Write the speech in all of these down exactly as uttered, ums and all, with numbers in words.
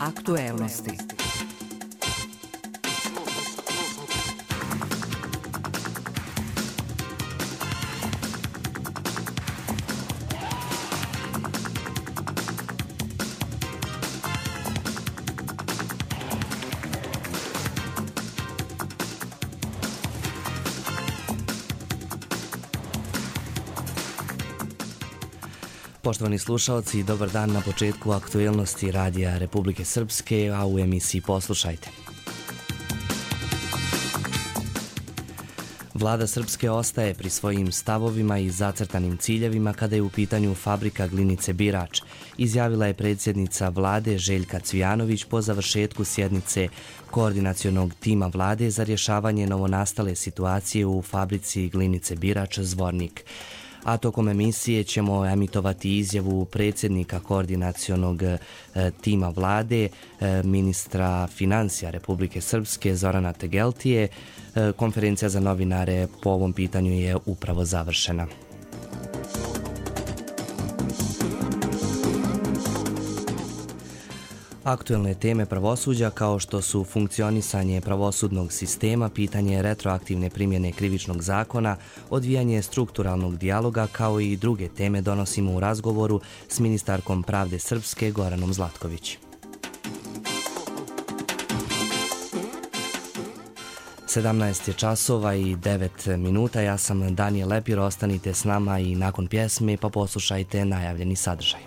Aktuelnosti. Poštovani slušalci, dobar dan na početku aktuelnosti Radija Republike Srpske, a u emisiji poslušajte. Vlada Srpske ostaje pri svojim stavovima i zacrtanim ciljevima kada je u pitanju fabrika glinice Birač, izjavila je predsjednica vlade Željka Cvijanović po završetku sjednice koordinacionog tima vlade za rješavanje novonastale situacije u fabrici glinice Birač Zvornik. A tokom emisije ćemo emitovati izjavu predsjednika koordinacionog e, tima vlade, e, ministra financija Republike Srpske Zorana Tegeltije. E, konferencija za novinare po ovom pitanju je upravo završena. Aktuelne teme pravosuđa kao što su funkcionisanje pravosudnog sistema, pitanje retroaktivne primjene krivičnog zakona, odvijanje strukturalnog dijaloga kao i druge teme donosimo u razgovoru s ministarkom pravde Srpske Goranom Zlatković. sedamnaest je časova i devet minuta. Ja sam Danijel Lepir, ostanite s nama i nakon pjesme pa poslušajte najavljeni sadržaj.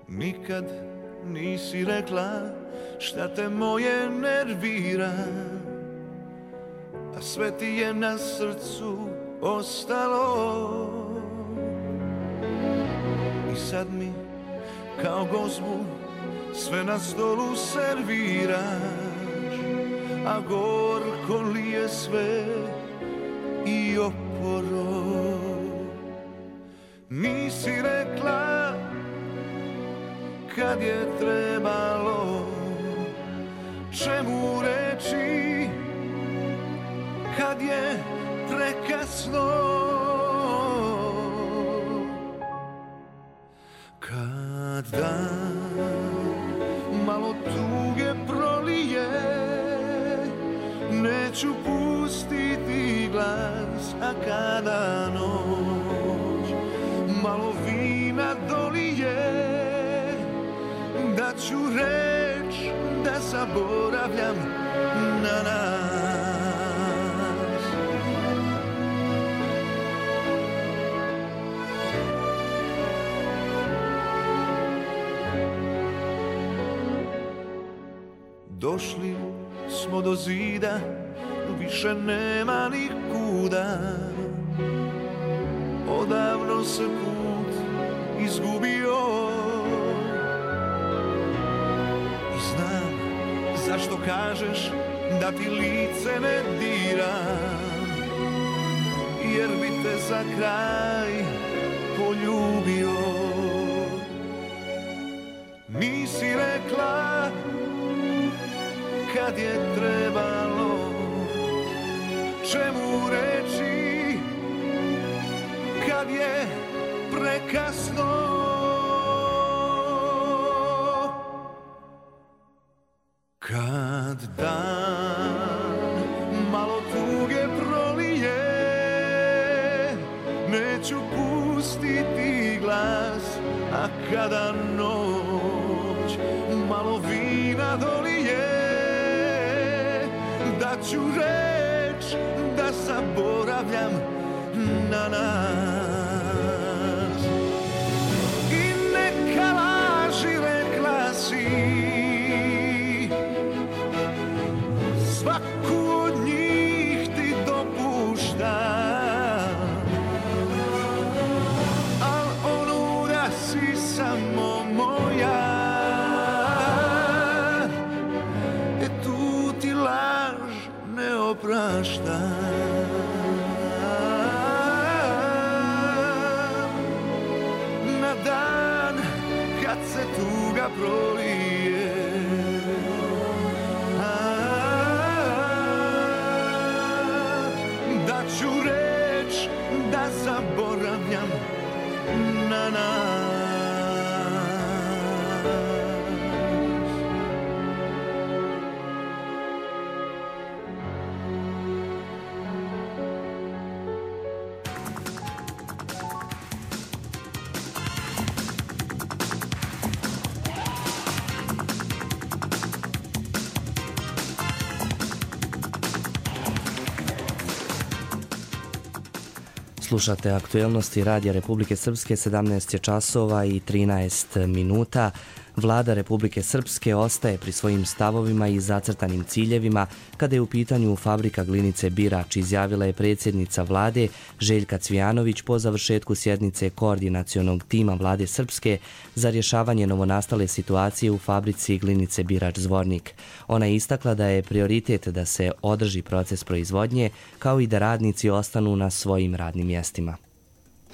Nikad nisi rekla šta te moje nervira, a sve ti je na srcu ostalo. I sad mi kao gozbu sve na stolu serviraš, a gorko li je sve i oporo. Nisi rekla kad je trebalo, čemu reći kad je prekasno. Kad dan malo tuge prolije, neću pustiti glas, a kada noć malo vina dolije, da ću reč da zaboravljam na nas. Došli smo do zida, više nema nikuda. Odavno se put izgubio, zašto kažeš da ti lice ne dira, jer bi te za kraj poljubio. Nisi rekla kad je trebalo, čemu reći kad je prekasno. Kad dan malo tuge prolije, neću pustiti glas, a kada noć malo vina dolije, da ću reč da zaboravljam na nas. I neka laži rekla si, svaku od njih ti dopuštam, al onu da si samo moja, e tu ti laž ne opraštam. Na dan kad se tuga tuga prolije, a, nađu reč da zaboravljam na nas. Slušate aktuelnosti Radija Republike Srpske, sedamnaest je časova i trinaest minuta. Vlada Republike Srpske ostaje pri svojim stavovima i zacrtanim ciljevima kada je u pitanju fabrika glinice Birač, izjavila je predsjednica vlade Željka Cvijanović po završetku sjednice koordinacionog tima vlade Srpske za rješavanje novonastale situacije u fabrici glinice Birač Zvornik. Ona je istakla da je prioritet da se održi proces proizvodnje kao i da radnici ostanu na svojim radnim mjestima.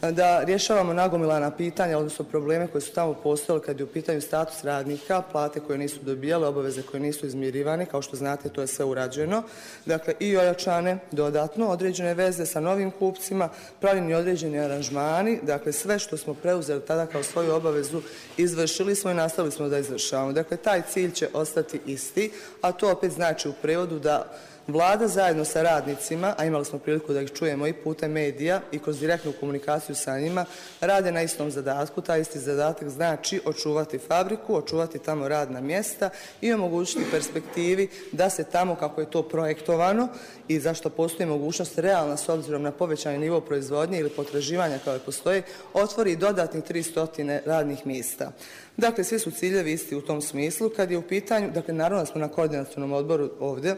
Da rješavamo nagomilana pitanja, odnosno probleme koje su tamo postojali kad je u pitanju status radnika, plate koje nisu dobijale, obaveze koje nisu izmirivane, kao što znate to je sve urađeno. Dakle, i ojačane dodatno određene veze sa novim kupcima, pravljeni određeni aranžmani, dakle sve što smo preuzeli tada kao svoju obavezu izvršili smo i nastavili smo da izvršavamo. Dakle, taj cilj će ostati isti, a to opet znači u prevodu da Vlada zajedno sa radnicima, a imali smo priliku da ih čujemo i putem medija i kroz direktnu komunikaciju sa njima, rade na istom zadatku. Taj isti zadatak znači očuvati fabriku, očuvati tamo radna mjesta i omogućiti perspektivi da se tamo, kako je to projektovano i zašto postoji mogućnost realna s obzirom na povećani nivo proizvodnje ili potraživanja kao je postoji, otvori dodatnih tristo radnih mjesta. Dakle, svi su ciljevi isti u tom smislu. Kad je u pitanju, dakle, naravno smo na koordinacionom odboru ovdje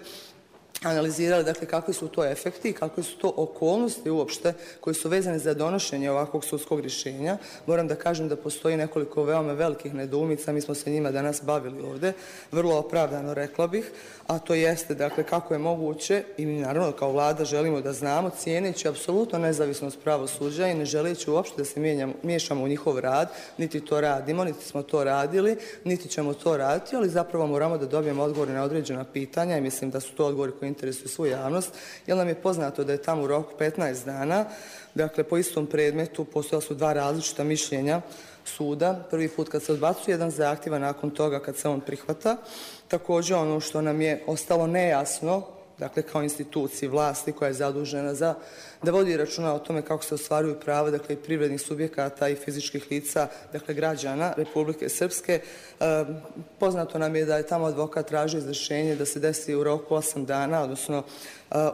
analizirali dakle kakvi su to efekti i kakve su to okolnosti uopšte koji su vezane za donošenje ovakvog sudskog rješenja. Moram da kažem da postoji nekoliko veoma velikih nedoumica, mi smo se njima danas bavili ovdje, vrlo opravdano rekla bih, a to jeste dakle kako je moguće i mi naravno kao vlada želimo da znamo, cijeneći apsolutno nezavisnost pravosuđa i ne želeći uopšte da se mijenjamo, miješamo u njihov rad, niti to radimo, niti smo to radili, niti ćemo to raditi, ali zapravo moramo da dobijemo odgovore na određena pitanja i mislim da su to odgovori koji interesuju svu javnost, jer nam je poznato da je tamo u roku petnaest dana, dakle po istom predmetu postojala su dva različita mišljenja suda, prvi put kad se odbacuje jedan zahtjev, a nakon toga kad se on prihvata. Također ono što nam je ostalo nejasno, dakle kao instituciji vlasti koja je zadužena za da vodi računa o tome kako se ostvaruju prava, dakle i privrednih subjekata i fizičkih lica, dakle građana Republike Srpske. E, poznato nam je da je tamo advokat tražio izvršenje da se desi u roku osam dana, odnosno e,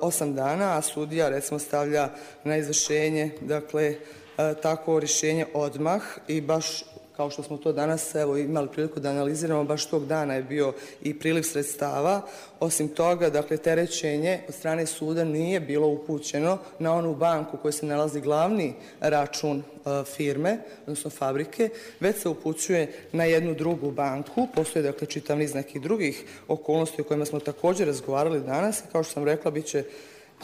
osam dana, a sudija recimo stavlja na izvršenje, dakle e, tako rješenje odmah i baš kao što smo to danas evo, imali priliku da analiziramo, baš tog dana je bio i priliv sredstava. Osim toga, dakle, terećenje od strane suda nije bilo upućeno na onu banku u kojoj se nalazi glavni račun e, firme, odnosno fabrike, već se upućuje na jednu drugu banku. Postoje, dakle, čitav niz nekih drugih okolnosti o kojima smo također razgovarali danas i kao što sam rekla, bit će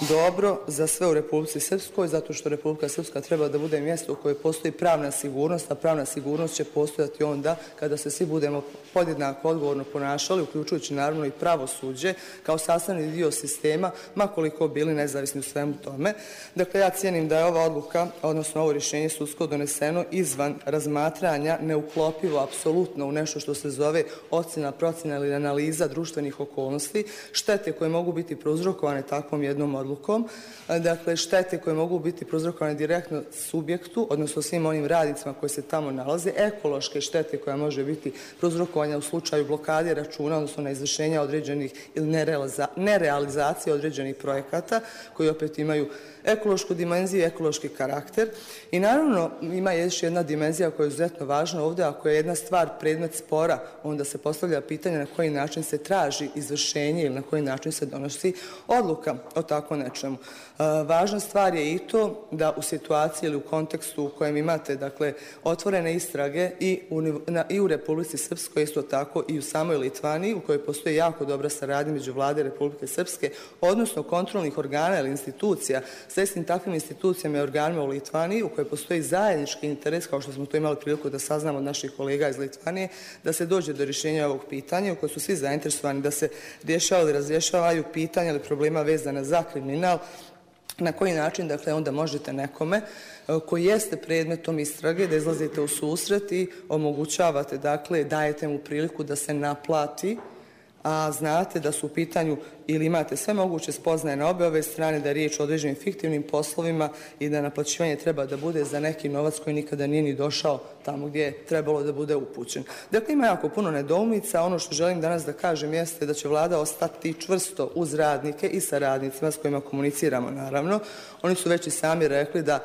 dobro za sve u Republici Srpskoj, zato što Republika Srpska treba da bude mjesto u kojoj postoji pravna sigurnost, a pravna sigurnost će postojati onda kada se svi budemo podjednako odgovorno ponašali, uključujući naravno i pravosuđe kao sastavni dio sistema, makoliko bili nezavisni u svemu tome. Dakle, ja cijenim da je ova odluka, odnosno ovo rješenje sudsko doneseno izvan razmatranja, neuklopivo apsolutno u nešto što se zove ocjena, procjena ili analiza društvenih okolnosti, štete koje mogu biti prouzrokovane takvom jednom odlukom, dakle štete koje mogu biti prouzrokovane direktno subjektu, odnosno svim onim radnicima koji se tamo nalaze, ekološke štete koja može biti prouzrokovanja u slučaju blokade računa, odnosno na izvršenja određenih ili nerealizacije određenih projekata koji opet imaju ekološku dimenziju, ekološki karakter. I naravno ima još jedna dimenzija koja je izuzetno važna ovdje, ako je jedna stvar predmet spora, onda se postavlja pitanje na koji način se traži izvršenje ili na koji način se donosi odluka o tako nečemu. E, važna stvar je i to da u situaciji ili u kontekstu u kojem imate dakle, otvorene istrage i u, na, i u Republici Srpskoj, isto tako i u samoj Litvaniji, u kojoj postoji jako dobra saradnja među vlade Republike Srpske, odnosno kontrolnih organa ili institucija sa istim takvim institucijama i organima u Litvaniji, u kojoj postoji zajednički interes, kao što smo to imali priliku da saznamo od naših kolega iz Litvanije, da se dođe do rješenja ovog pitanja, u kojoj su svi zainteresovani da se rješavaju ili razrješavaju pitanja ili problema vezana za kriminal na koji način dakle onda možete nekome koji jeste predmetom istrage da izlazite u susret i omogućavate, dakle dajete mu priliku da se naplati, a znate da su u pitanju ili imate sve moguće spoznaje na obe ove strane da je riječ o određenim fiktivnim poslovima i da naplaćivanje treba da bude za neki novac koji nikada nije ni došao tamo gdje je trebalo da bude upućen. Dakle, ima jako puno nedoumica. Ono što želim danas da kažem jeste da će vlada ostati čvrsto uz radnike i sa radnicima s kojima komuniciramo, naravno. Oni su već i sami rekli da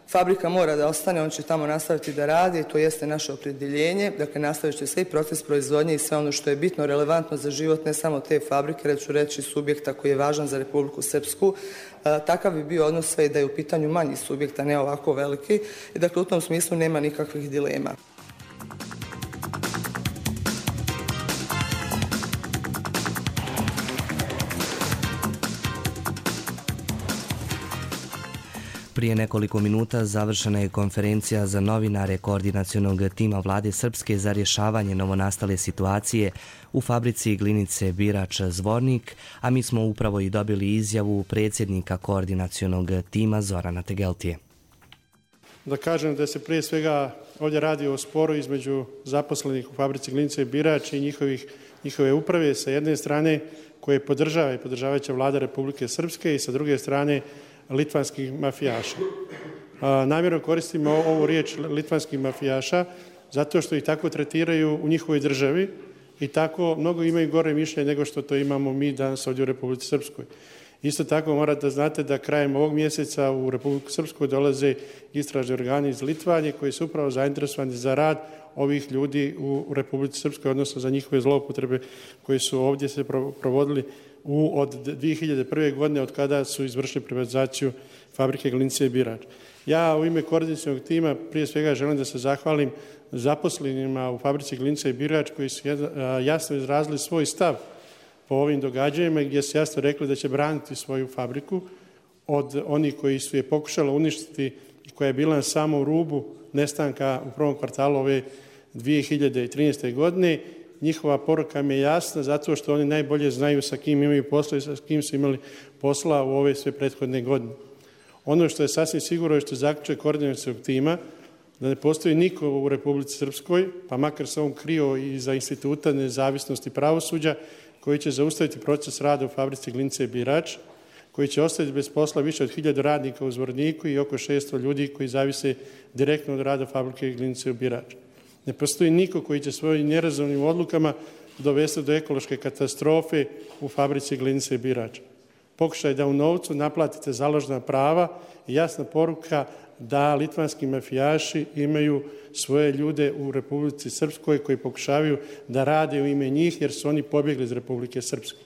fabrika mora da ostane, on će tamo nastaviti da radi i to jeste naše opredjeljenje. Dakle, nastavit će se i proces proizvodnje i sve ono što je bitno, relevantno za život ne samo te fabrike, već ću reći subjekta koji je važan za Republiku Srpsku. E, takav bi bio odnos sve i da je u pitanju manji subjekt, a ne ovako veliki. I dakle, u tom smislu nema nikakvih dilema. Prije nekoliko minuta završena je konferencija za novinare koordinacionog tima Vlade Srpske za rješavanje novonastale situacije u fabrici glinice Birač Zvornik, a mi smo upravo i dobili izjavu predsjednika koordinacionog tima Zorana Tegeltije. Da kažem da se prije svega ovdje radi o sporu između zaposlenih u fabrici glinice Birač i njihovih, njihove uprave sa jedne strane koje podržava i podržavajuća će Vlada Republike Srpske i sa druge strane litvanskih mafijaša. Namjerno koristimo ovu riječ litvanskih mafijaša zato što ih tako tretiraju u njihovoj državi i tako mnogo imaju gore mišljenje nego što to imamo mi danas ovdje u Republici Srpskoj. Isto tako morate da znate da krajem ovog mjeseca u Republiku Srpsku dolaze istražni organi iz Litvanije koji su upravo zainteresovani za rad ovih ljudi u Republici Srpskoj, odnosno za njihove zloupotrebe koje su ovdje se provodili u, od dvije hiljade prve. godine od kada su izvršili privatizaciju fabrike glinice Birač. Ja u ime koordinacionog tima prije svega želim da se zahvalim zaposlenima u fabrici glinice Birač koji su jasno izrazili svoj stav po ovim događajima gdje su jasno rekli da će braniti svoju fabriku od onih koji su je pokušali uništiti i koja je bila na samom rubu nestanka u prvom kvartalu ove dvije hiljade trinaeste. godine. Njihova poruka mi je jasna zato što oni najbolje znaju sa kim imaju posla i sa kim su imali posla u ove sve prethodne godine. Ono što je sasvim sigurno je što zaključuje koordinacionog tima da ne postoji niko u Republici Srpskoj, pa makar se on krio i za instituta nezavisnosti pravosuđa, koji će zaustaviti proces rada u fabrici glinice Birač, koji će ostaviti bez posla više od hiljadu radnika u Zvorniku i oko šesto ljudi koji zavise direktno od rada fabrike glinice u Birač. Ne postoji niko koji će svojim nerazumnim odlukama dovesti do ekološke katastrofe u fabrici glinice Birač. Pokušaj da u novcu naplatite založna prava i jasna poruka da litvanski mafijaši imaju svoje ljude u Republici Srpskoj koji pokušavaju da rade u ime njih jer su oni pobjegli iz Republike Srpske.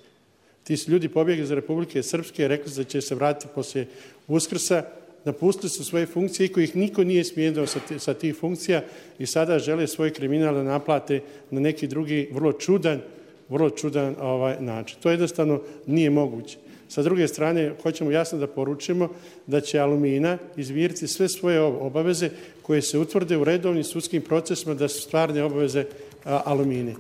Ti su ljudi pobjegli iz Republike Srpske, rekli su da će se vratiti poslije Uskrsa, napustili su svoje funkcije i kojih niko nije smijenio sa, sa tih funkcija i sada žele svoj kriminal da naplate na neki drugi vrlo čudan, vrlo čudan ovaj, način. To jednostavno nije moguće. Sa druge strane, hoćemo jasno da poručimo da će Alumina izmiriti sve svoje obaveze koje se utvrde u redovnim sudskim procesima da su stvarne obaveze a, Alumine.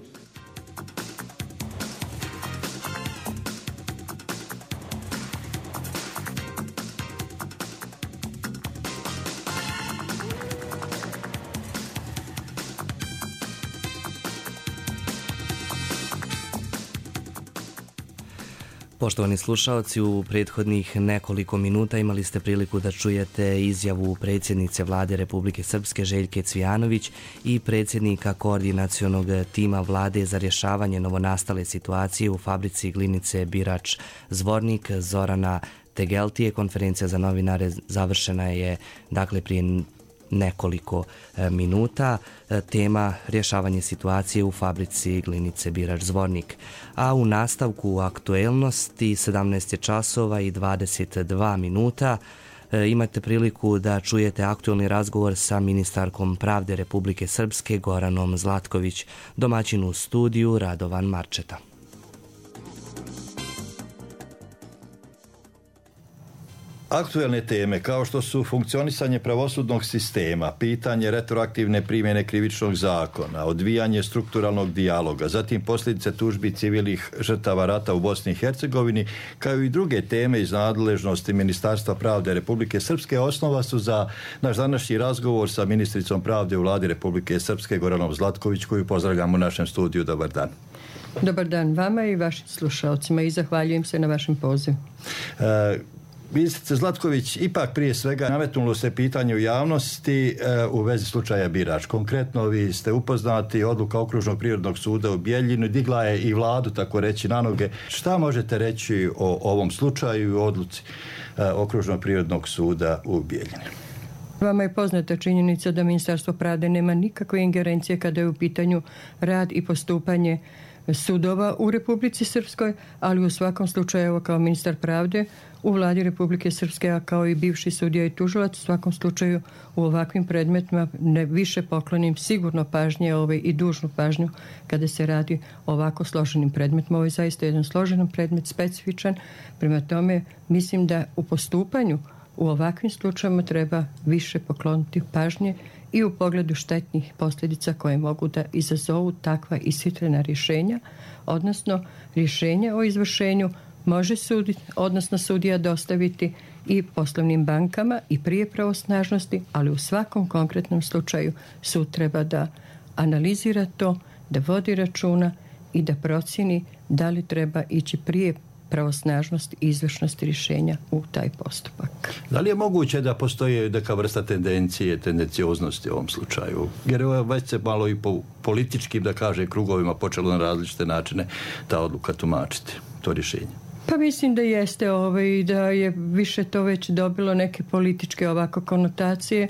Poštovani slušalci, u prethodnih nekoliko minuta imali ste priliku da čujete izjavu predsjednice Vlade Republike Srpske Željke Cvijanović i predsjednika koordinacionog tima Vlade za rješavanje novonastale situacije u fabrici glinice Birač Zvornik Zorana Tegeltije. Konferencija za novinare završena je dakle prije nekoliko minuta. Tema rješavanje situacije u fabrici glinice Birač Zvornik. A u nastavku aktuelnosti sedamnaest je časova i dvadeset dva minuta. Imate priliku da čujete aktuelni razgovor sa ministarkom pravde Republike Srpske Goranom Zlatković, domaćin u studiju Radovan Marčeta. Aktuelne teme kao što su funkcionisanje pravosudnog sistema, pitanje retroaktivne primjene krivičnog zakona, odvijanje strukturalnog dijaloga, zatim posljedice tužbi civilnih žrtava rata u Bosni i Hercegovini, kao i druge teme iz nadležnosti Ministarstva pravde Republike Srpske, osnova su za naš današnji razgovor sa ministricom pravde u Vladi Republike Srpske, Goranom Zlatković, koju pozdravljamo u našem studiju. Dobar dan. Dobar dan vama i vašim slušalcima i zahvaljujem se na vašem pozivu. E, Ministrice Zlatković, ipak prije svega nametnulo se pitanje u javnosti e, u vezi slučaja Birač. Konkretno, vi ste upoznati, odluka Okružnog prirodnog suda u Bijeljinu digla je i vladu, tako reći, na noge. Šta možete reći o ovom slučaju i odluci e, Okružnog prirodnog suda u Bijeljini? Vama je poznata činjenica da Ministarstvo pravde nema nikakve ingerencije kada je u pitanju rad i postupanje sudova u Republici Srpskoj, ali u svakom slučaju, evo, kao ministar pravde u Vladi Republike Srpske, a kao i bivši sudija i tužilac, u svakom slučaju u ovakvim predmetima ne više poklonim sigurno pažnje ovaj, i dužnu pažnju kada se radi o ovako složenim predmetima. Ovo je zaista jedan složen predmet, specifičan. Prema tome, mislim da u postupanju u ovakvim slučajima treba više pokloniti pažnje i u pogledu štetnih posljedica koje mogu da izazovu takva ishitrena rješenja, odnosno rješenja o izvršenju može suditi, odnosno sudija dostaviti i poslovnim bankama i prije pravosnažnosti, ali u svakom konkretnom slučaju sud treba da analizira to, da vodi računa i da procjeni da li treba ići prije pravosnažnost i izvršnost rješenja u taj postupak. Da li je moguće da postoji neka vrsta tendencije, tendencioznosti u ovom slučaju? Jer je već se malo i po političkim, da kaže, krugovima počelo na različite načine ta odluka tumačiti, to rješenje. Pa mislim da jeste ovaj, da je više to već dobilo neke političke ovako konotacije.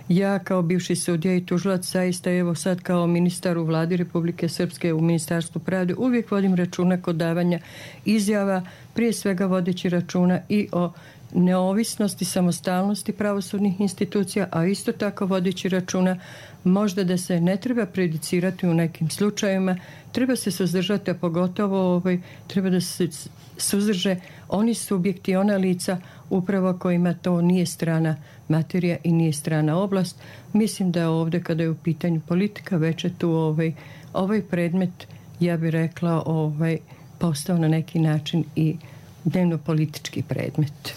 Ja kao bivši sudija i tužilac, zaista evo sad kao ministar u Vladi Republike Srpske u Ministarstvu pravde uvijek vodim računa kod davanja izjava, prije svega vodeći računa i o neovisnosti, samostalnosti pravosudnih institucija, a isto tako vodeći računa možda da se ne treba prejudicirati u nekim slučajevima, treba se suzdržati, a pogotovo ovaj, treba da se suzdrže oni subjekti, ona lica upravo kojima to nije strana materija i nije strana oblast. Mislim da ovdje kada je u pitanju politika već je tu ovaj, ovaj predmet, ja bih rekla, ovaj, postao na neki način i dnevno politički predmet.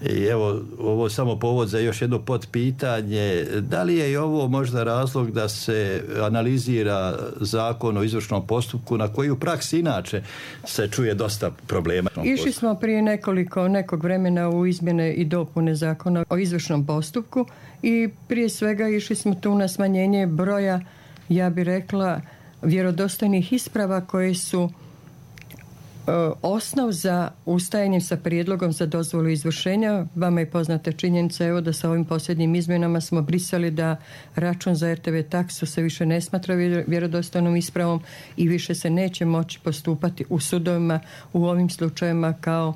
I evo, ovo je samo povod za još jedno potpitanje. Da li je i ovo možda razlog da se analizira zakon o izvršnom postupku na koji u praksi inače se čuje dosta problema? Išli smo prije nekoliko, nekog vremena u izmjene i dopune zakona o izvršnom postupku i prije svega išli smo tu na smanjenje broja, ja bih rekla, vjerodostojnih isprava koje su osnov za ustajanje sa prijedlogom za dozvolu izvršenja. Vama je poznata činjenica, evo, da sa ovim posljednjim izmjenama smo brisali da račun za er te ve taksu se više ne smatra vjerodostojnom ispravom i više se neće moći postupati u sudovima u ovim slučajevima kao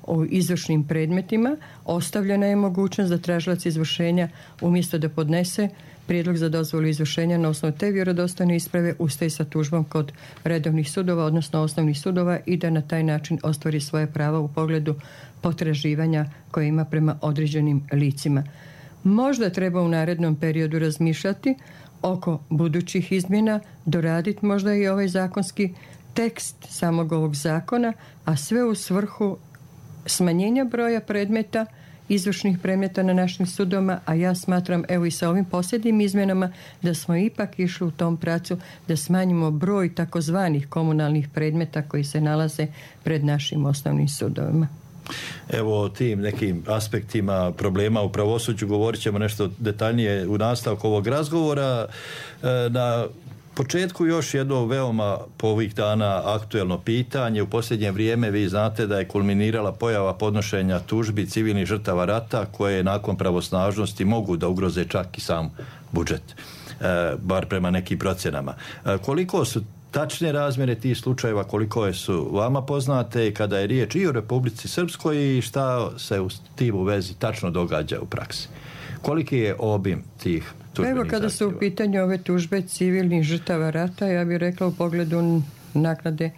u izvršnim predmetima. Ostavljena je mogućnost da tražilac izvršenja umjesto da podnese prijedlog za dozvolu izvršenja na osnovu te vjerodostojne isprave ustaje sa tužbom kod redovnih sudova, odnosno osnovnih sudova, i da na taj način ostvari svoje prava u pogledu potraživanja koje ima prema određenim licima. Možda treba u narednom periodu razmišljati oko budućih izmjena, doraditi možda i ovaj zakonski tekst samog ovog zakona, a sve u svrhu smanjenja broja predmeta, izvršnih predmeta na našim sudovima, a ja smatram, evo i sa ovim posljednjim izmjenama, da smo ipak išli u tom pracu da smanjimo broj takozvanih komunalnih predmeta koji se nalaze pred našim osnovnim sudovima. Evo o tim nekim aspektima problema u pravosuđu govorit ćemo nešto detaljnije u nastavku ovog razgovora. Na početku još jedno veoma po ovih dana aktuelno pitanje. U posljednje vrijeme vi znate da je kulminirala pojava podnošenja tužbi civilnih žrtava rata koje nakon pravosnažnosti mogu da ugroze čak i sam budžet, e, bar prema nekim procjenama. E, koliko su tačne razmjere tih slučajeva, koliko su vama poznate kada je riječ i o Republici Srpskoj i šta se u tim u vezi tačno događa u praksi? Koliki je obim tih tužbenih Evo kada zahtjeva? su u pitanju ove tužbe civilnih žrtava rata, ja bih rekla u pogledu naknade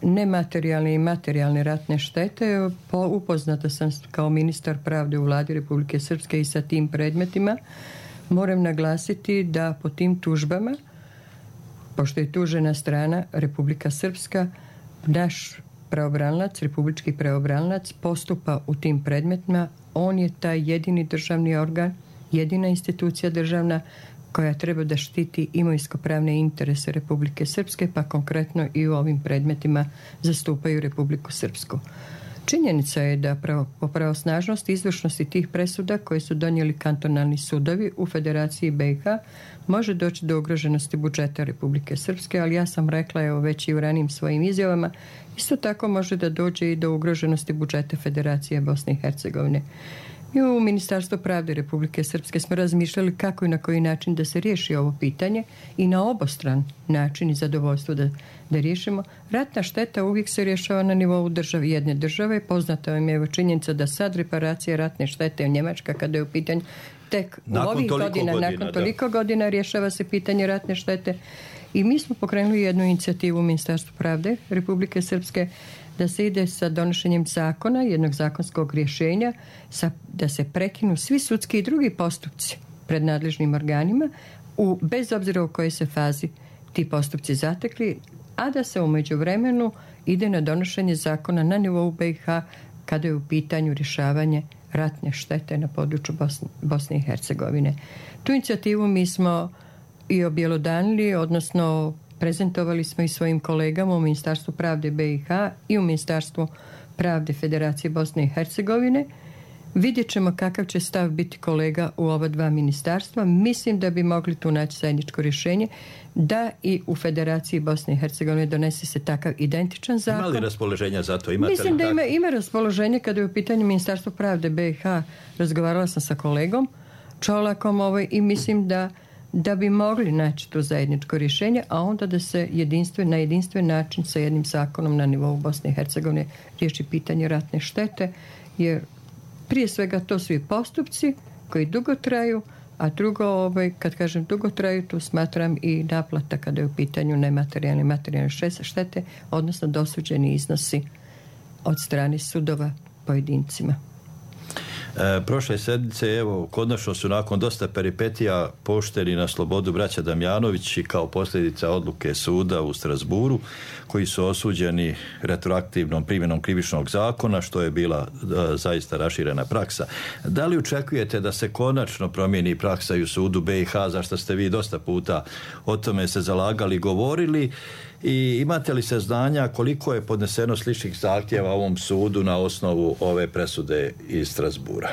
nematerijalne i materijalne ratne štete. Po, upoznata sam kao ministar pravde u vladi Republike Srpske i sa tim predmetima. Moram naglasiti da po tim tužbama, pošto je tužena strana Republika Srpska, naš pravobranilac, republički pravobranilac postupa u tim predmetima. On je taj jedini državni organ, jedina institucija državna koja treba da štiti imovinsko-pravne interese Republike Srpske, pa konkretno i u ovim predmetima zastupaju Republiku Srpsku. Činjenica je da pravo, po pravosnažnosti izvršnosti tih presuda koje su donijeli kantonalni sudovi u Federaciji B i H može doći do ugroženosti budžeta Republike Srpske, ali ja sam rekla evo već i u ranijim svojim izjavama, isto tako može da dođe i do ugroženosti budžeta Federacije Bosne i Hercegovine. Mi u Ministarstvu pravde Republike Srpske smo razmišljali kako i na koji način da se riješi ovo pitanje i na obostran način i zadovoljstvo da, da riješimo. Ratna šteta uvijek se rješava na nivou države, jedne države. Poznata vam je evo činjenica da sad reparacija ratne štete u Njemačka kada je u pitanju tek nakon u ovih godina, godina, nakon toliko da. godina rješava se pitanje ratne štete. I mi smo pokrenuli jednu inicijativu u Ministarstvu pravde Republike Srpske da se ide sa donošenjem zakona, jednog zakonskog rješenja, sa, da se prekinu svi sudski i drugi postupci pred nadležnim organima, u, bez obzira u kojoj se fazi ti postupci zatekli, a da se u međuvremenu ide na donošenje zakona na nivou B i H kada je u pitanju rješavanje ratne štete na području Bosne, Bosne i Hercegovine. Tu inicijativu mi smo i objelodanili, odnosno prezentovali smo i svojim kolegama u Ministarstvu pravde B i H i u Ministarstvu pravde Federacije Bosne i Hercegovine. Vidjet ćemo kakav će stav biti kolega u ova dva ministarstva. Mislim da bi mogli tu naći zajedničko rješenje da i u Federaciji Bosne i Hercegovine donese se takav identičan zakon. Ima li raspoloženja za to? Imate Mislim li da ima, ima raspoloženje kada je u pitanju Ministarstvo pravde B i H. Razgovarala sam sa kolegom Čolakom ovaj, i mislim da da bi mogli naći to zajedničko rješenje, a onda da se jedinstven, na jedinstven način sa jednim zakonom na nivou Bosne i Hercegovine riješi pitanje ratne štete, jer prije svega to su i postupci koji dugo traju, a drugo, ovaj, kad kažem dugo traju, tu smatram i naplata kada je u pitanju nematerijalne i materijalne štete, odnosno dosuđeni iznosi od strane sudova pojedincima. E, prošle sedmice, evo, konačno su nakon dosta peripetija pušteni na slobodu braća Damjanović i kao posljedica odluke suda u Strasburu, koji su osuđeni retroaktivnom primjenom krivičnog zakona, što je bila e, zaista raširena praksa. Da li očekujete da se konačno promijeni praksa i u sudu B i H, zašto ste vi dosta puta o tome se zalagali, govorili, i imate li saznanja koliko je podneseno sličnih zahtjeva ovom sudu na osnovu ove presude iz Strasbura?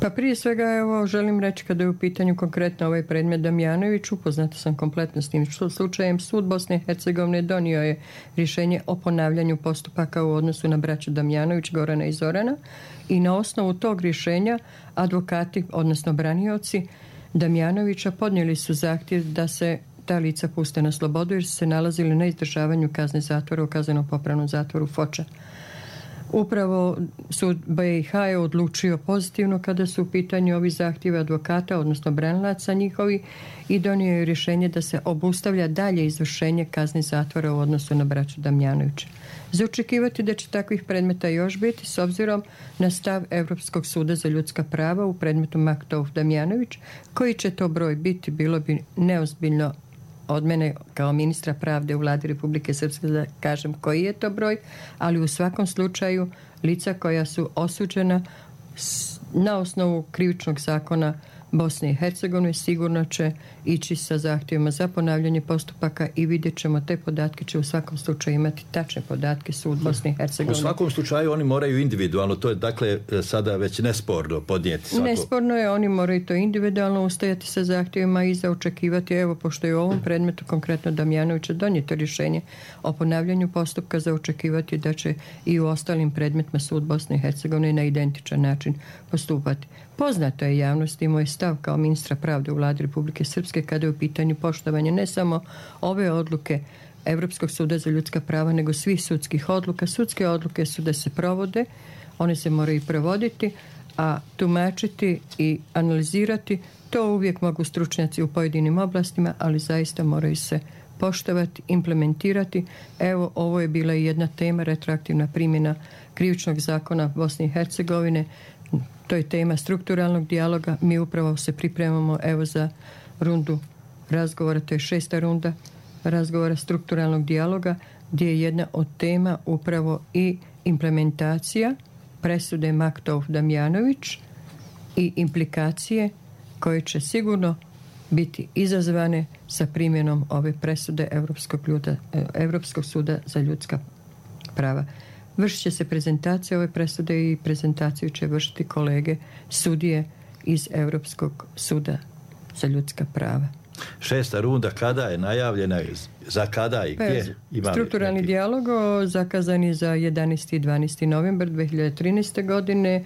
Pa prije svega evo želim reći kada je u pitanju konkretno ovaj predmet Damjanović, upoznata sam kompletno s tim slučajem. Sud Bosne i Hercegovine donio je rješenje o ponavljanju postupaka u odnosu na braću Damjanović, Gorana i Zorana, i na osnovu tog rješenja advokati, odnosno branioci Damjanovića, podnijeli su zahtjev da se ta lica puste na slobodu jer su se nalazili na izdržavanju kazne zatvora u kazneno-popravnom zatvoru Foča. Upravo sud B i H je odlučio pozitivno kada su u pitanju ovi zahtjevi advokata, odnosno branilaca njihovi, i donio je rješenje da se obustavlja dalje izvršenje kazne zatvora u odnosu na braću Damjanovića. Za očekivati da će takvih predmeta još biti s obzirom na stav Europskog suda za ljudska prava u predmetu Maktov Damjanović. Koji će to broj biti, bilo bi neozbiljno od mene kao ministra pravde u vladi Republike Srpske da kažem koji je to broj, ali u svakom slučaju lica koja su osuđena na osnovu krivičnog zakona Bosne i Hercegovine sigurno će ići sa zahtjevima za ponavljanje postupaka i vidjet ćemo te podatke, će u svakom slučaju imati tačne podatke sud Bosne i Hercegovine. U svakom slučaju oni moraju individualno, to je dakle sada već nesporno podnijeti svako. Nesporno je, oni moraju to individualno ustajati sa zahtjevima i za očekivati, evo pošto je u ovom predmetu konkretno Damjanovića donijeto rješenje o ponavljanju postupka, za očekivati da će i u ostalim predmetima sud Bosne i Hercegovine na identičan način postupati. Poznato je javnosti i moj stav kao ministra pravde u vladi Republike Srpske kada je u pitanju poštovanje ne samo ove odluke Europskog suda za ljudska prava, nego svih sudskih odluka. Sudske odluke su da se provode, one se moraju provoditi, a tumačiti i analizirati to uvijek mogu stručnjaci u pojedinim oblastima, ali zaista moraju se poštovati, implementirati. Evo, ovo je bila i jedna tema, retroaktivna primjena krivičnog zakona Bosne i Hercegovine. To je tema strukturalnog dijaloga. Mi upravo se pripremamo evo za rundu razgovora, to je šesta runda razgovora strukturalnog dijaloga, gdje je jedna od tema upravo i implementacija presude Maktov-Damjanović i implikacije koje će sigurno biti izazvane sa primjenom ove presude Europskog, ljuda, Europskog suda za ljudska prava. Vršit će se prezentacija ove presude i prezentaciju će vršiti kolege sudije iz Europskog suda za ljudska prava. Šesta runda kada je najavljena, za kada i gdje? Ima strukturalni neki... dijalog zakazan je za jedanaesti i dvanaesti novembar dve hiljade trinaeste. godine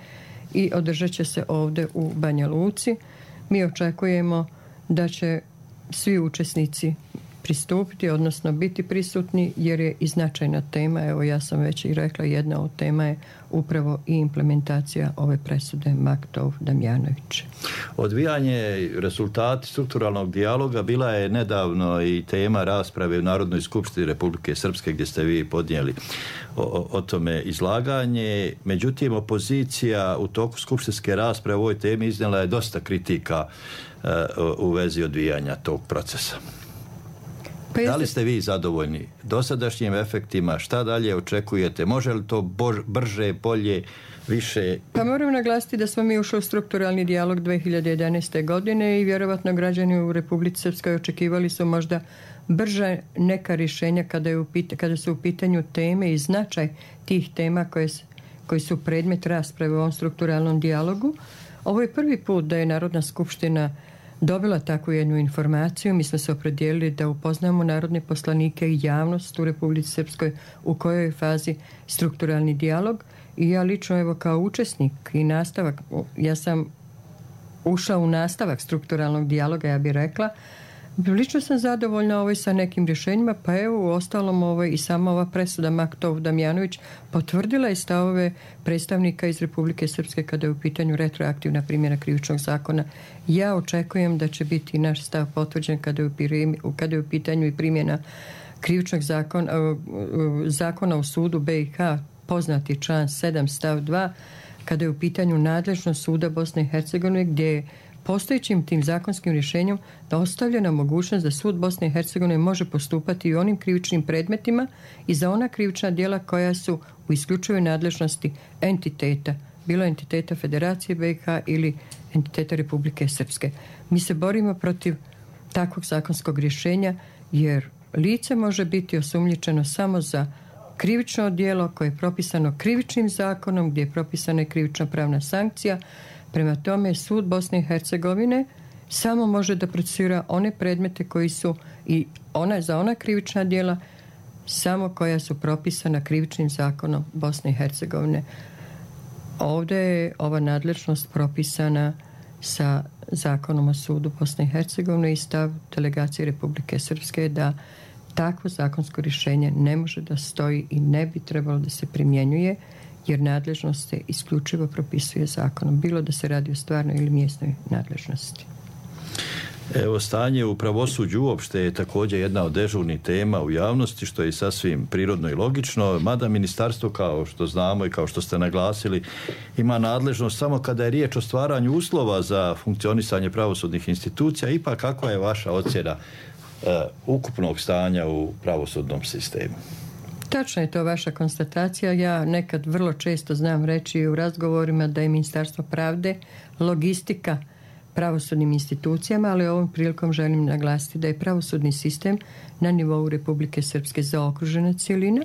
i održat će se ovdje u Banja Luci. Mi očekujemo da će svi učesnici pristupiti, odnosno biti prisutni, jer je i značajna tema. Evo, ja sam već i rekla, jedna od tema je upravo i implementacija ove presude Maktov-Damjanović. Odvijanje rezultati strukturalnog dijaloga bila je nedavno i tema rasprave u Narodnoj skupštini Republike Srpske, gdje ste vi podnijeli o, o tome izlaganje. Međutim, opozicija u toku skupštinske rasprave o ovoj temi iznijela je dosta kritika uh, u vezi odvijanja tog procesa. Pa da li ste vi zadovoljni dosadašnjim efektima? Šta dalje očekujete? Može li to bož, brže, bolje, više? Pa moram naglasiti da smo mi ušli u strukturalni dijalog dve hiljade jedanaeste. godine i vjerovatno građani u Republici Srpskoj očekivali su možda brže neka rješenja kada, je u pita, kada su u pitanju teme i značaj tih tema koje, koji su predmet rasprave u ovom strukturalnom dijalogu. Ovo je prvi put da je Narodna skupština dobila takvu jednu informaciju. Mi smo se opredijelili da upoznamo narodne poslanike i javnost u Republici Srpskoj u kojoj je fazi strukturalni dijalog i ja lično evo kao učesnik i nastavak, ja sam ušla u nastavak strukturalnog dijaloga, ja bih rekla. Lično sam zadovoljna ovoj sa nekim rješenjima, pa evo u ostalom ovoj i sama ova presuda Maktov-Damjanović potvrdila je stavove predstavnika iz Republike Srpske kada je u pitanju retroaktivna primjena krivičnog zakona. Ja očekujem da će biti naš stav potvrđen kada je u, kada je u pitanju i primjena krivičnog zakona, zakona o sudu B i H, poznati član sedam stav dva, kada je u pitanju nadležnost suda Bosne i Hercegovine, gdje je postojećim tim zakonskim rješenjem da ostavljena mogućnost da sud Bosne i Hercegovine može postupati i onim krivičnim predmetima i za ona krivična djela koja su u isključivoj nadležnosti entiteta, bilo entiteta Federacije B i H ili entiteta Republike Srpske. Mi se borimo protiv takvog zakonskog rješenja jer lice može biti osumnjičeno samo za krivično djelo koje je propisano krivičnim zakonom, gdje je propisana i krivična pravna sankcija. Prema tome, sud Bosne i Hercegovine samo može da procesira one predmete koji su i ona, za ona krivična djela samo koja su propisana krivičnim zakonom Bosne i Hercegovine. Ovdje je ova nadležnost propisana sa zakonom o sudu Bosne i Hercegovine i stav delegacije Republike Srpske da takvo zakonsko rješenje ne može da stoji i ne bi trebalo da se primjenjuje, jer nadležnost se isključivo propisuje zakonom, bilo da se radi o stvarnoj ili mjesnoj nadležnosti. Evo, stanje u pravosuđu uopšte je također jedna od dežurnih tema u javnosti, što je sasvim prirodno i logično, mada ministarstvo, kao što znamo i kao što ste naglasili, ima nadležnost samo kada je riječ o stvaranju uslova za funkcionisanje pravosudnih institucija. Ipak, kakva je vaša ocjena uh, ukupnog stanja u pravosudnom sistemu? Tačno je to vaša konstatacija. Ja nekad vrlo često znam reći u razgovorima da je Ministarstvo pravde logistika pravosudnim institucijama, ali ovom prilikom želim naglasiti da je pravosudni sistem na nivou Republike Srpske zaokružena cjelina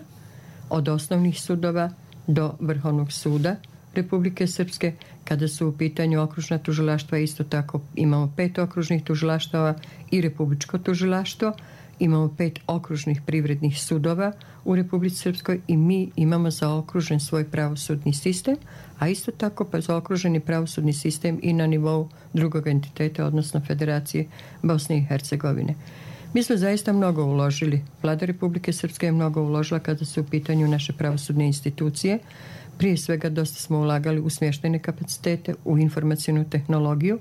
od osnovnih sudova do Vrhovnog suda Republike Srpske. Kada su u pitanju okružna tužilaštva, isto tako imamo pet okružnih tužilaštava i republičko tužilaštvo. Imamo pet okružnih privrednih sudova u Republici Srpskoj i mi imamo zaokružen svoj pravosudni sistem, a isto tako pa zaokruženi pravosudni sistem i na nivou drugog entiteta, odnosno Federacije Bosne i Hercegovine. Mi smo zaista mnogo uložili. Vlada Republike Srpske je mnogo uložila kada su u pitanju naše pravosudne institucije. Prije svega dosta smo ulagali u smještajne kapacitete, u informacijnu tehnologiju,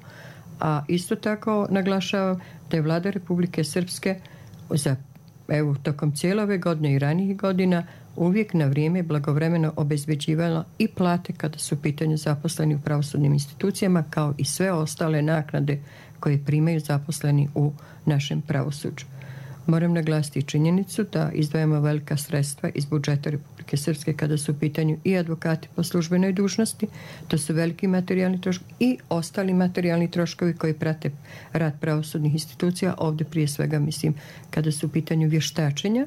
a isto tako naglašavam da je Vlada Republike Srpske za evo, tokom cijele ove godine i ranijih godina uvijek na vrijeme blagovremeno obezbeđivala i plate kada su u pitanju zaposleni u pravosudnim institucijama, kao i sve ostale naknade koje primaju zaposleni u našem pravosuđu. Moram naglasiti činjenicu da izdvajamo velika sredstva iz budžeta Republike Srpske kada su u pitanju i advokati po službenoj dužnosti, to su veliki materijalni troškovi i ostali materijalni troškovi koji prate rad pravosudnih institucija, ovdje prije svega mislim kada su u pitanju vještačenja,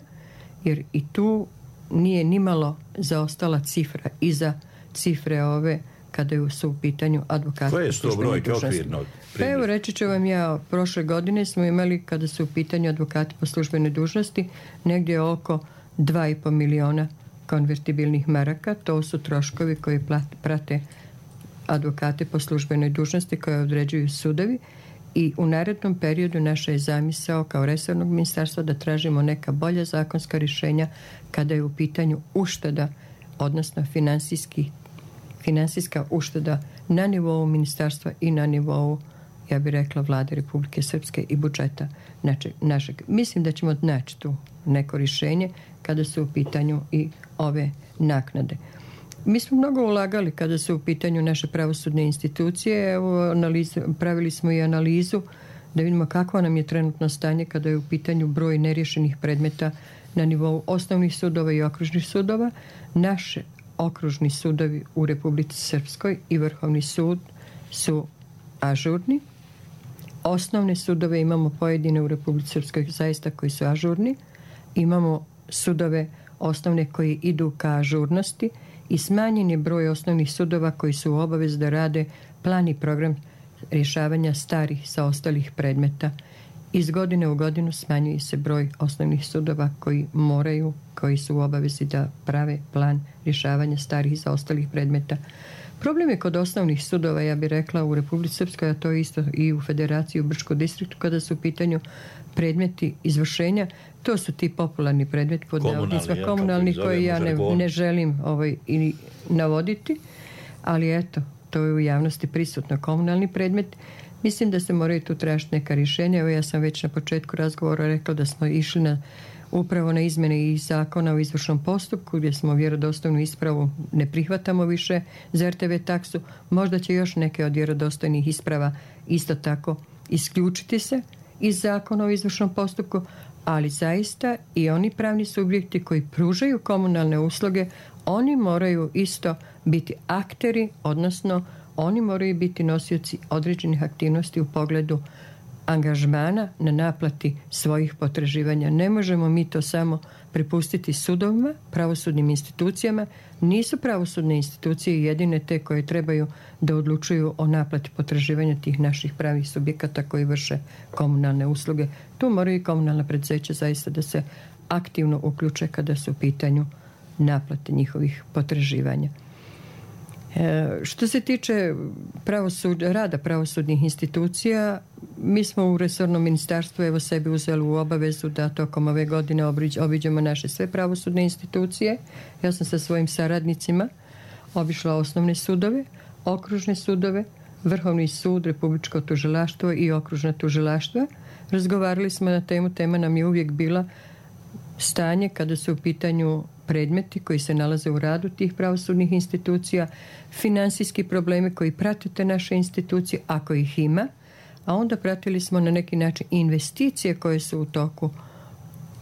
jer i tu nije nimalo zaostala cifra iza cifre ove kada su u pitanju advokati. Koje su to brojke okvirno? Pa evo, reći ću vam ja, prošle godine smo imali, kada su u pitanju advokati po službenoj dužnosti, negdje oko dva i pol miliona konvertibilnih maraka. To su troškovi koji prate advokate po službenoj dužnosti koje određuju sudovi. I u narednom periodu naša je zamisao kao resornog ministarstva da tražimo neka bolja zakonska rješenja kada je u pitanju ušteda, odnosno finansijski, finansijska ušteda na nivou ministarstva i na nivou, ja bih rekla, Vlade Republike Srpske i budžeta našeg. Mislim da ćemo naći tu neko rješenje kada su u pitanju i ove naknade. Mi smo mnogo ulagali kada su u pitanju naše pravosudne institucije. Evo, analize, pravili smo i analizu da vidimo kakvo nam je trenutno stanje kada je u pitanju broj neriješenih predmeta na nivou osnovnih sudova i okružnih sudova. Naše okružni sudovi u Republici Srpskoj i Vrhovni sud su ažurni. Osnovne sudove imamo pojedine u Republici Srpskoj zaista koji su ažurni. Imamo sudove osnovne koji idu ka ažurnosti i smanjen je broj osnovnih sudova koji su u obavezi da rade plan i program rješavanja starih sa ostalih predmeta. Iz godine u godinu smanjuje se broj osnovnih sudova koji moraju, koji su u obavezi da prave plan rješavanja starih i zaostalih predmeta. Problem je kod osnovnih sudova, ja bih rekla, u Republici Srpskoj, a to je isto i u Federaciji u Brčkom distriktu, kada su u pitanju predmeti izvršenja. To su ti popularni predmeti pod navodnicima komunalni koje ja ne, ne želim ovaj, i navoditi, ali eto, to je u javnosti prisutno, komunalni predmet. Mislim da se moraju tu tražiti neka rješenja. Evo, ja sam već na početku razgovora rekla da smo išli na, upravo na izmjene i zakona o izvršnom postupku gdje smo vjerodostojnu ispravu ne prihvatamo više za er te ve taksu. Možda će još neke od vjerodostojnih isprava isto tako isključiti se iz zakona o izvršnom postupku, ali zaista i oni pravni subjekti koji pružaju komunalne usluge, oni moraju isto biti akteri, odnosno oni moraju biti nosioci određenih aktivnosti u pogledu angažmana na naplati svojih potraživanja. Ne možemo mi to samo prepustiti sudovima, pravosudnim institucijama. Nisu pravosudne institucije jedine te koje trebaju da odlučuju o naplati potraživanja tih naših pravih subjekata koji vrše komunalne usluge. Tu moraju i komunalna preduzeća zaista da se aktivno uključe kada su u pitanju naplate njihovih potraživanja. E, što se tiče pravosud, rada pravosudnih institucija, mi smo u resornom ministarstvu evo sebi uzeli u obavezu da tokom ove godine obiđemo naše sve pravosudne institucije. Ja sam sa svojim saradnicima obišla osnovne sudove, okružne sudove, Vrhovni sud, Republičko tužilaštvo i okružna tužilaštva. Razgovarali smo na temu, tema nam je uvijek bila stanje kada su u pitanju predmeti koji se nalaze u radu tih pravosudnih institucija, finansijski problemi koji prate te naše institucije, ako ih ima, a onda pratili smo na neki način investicije koje su u toku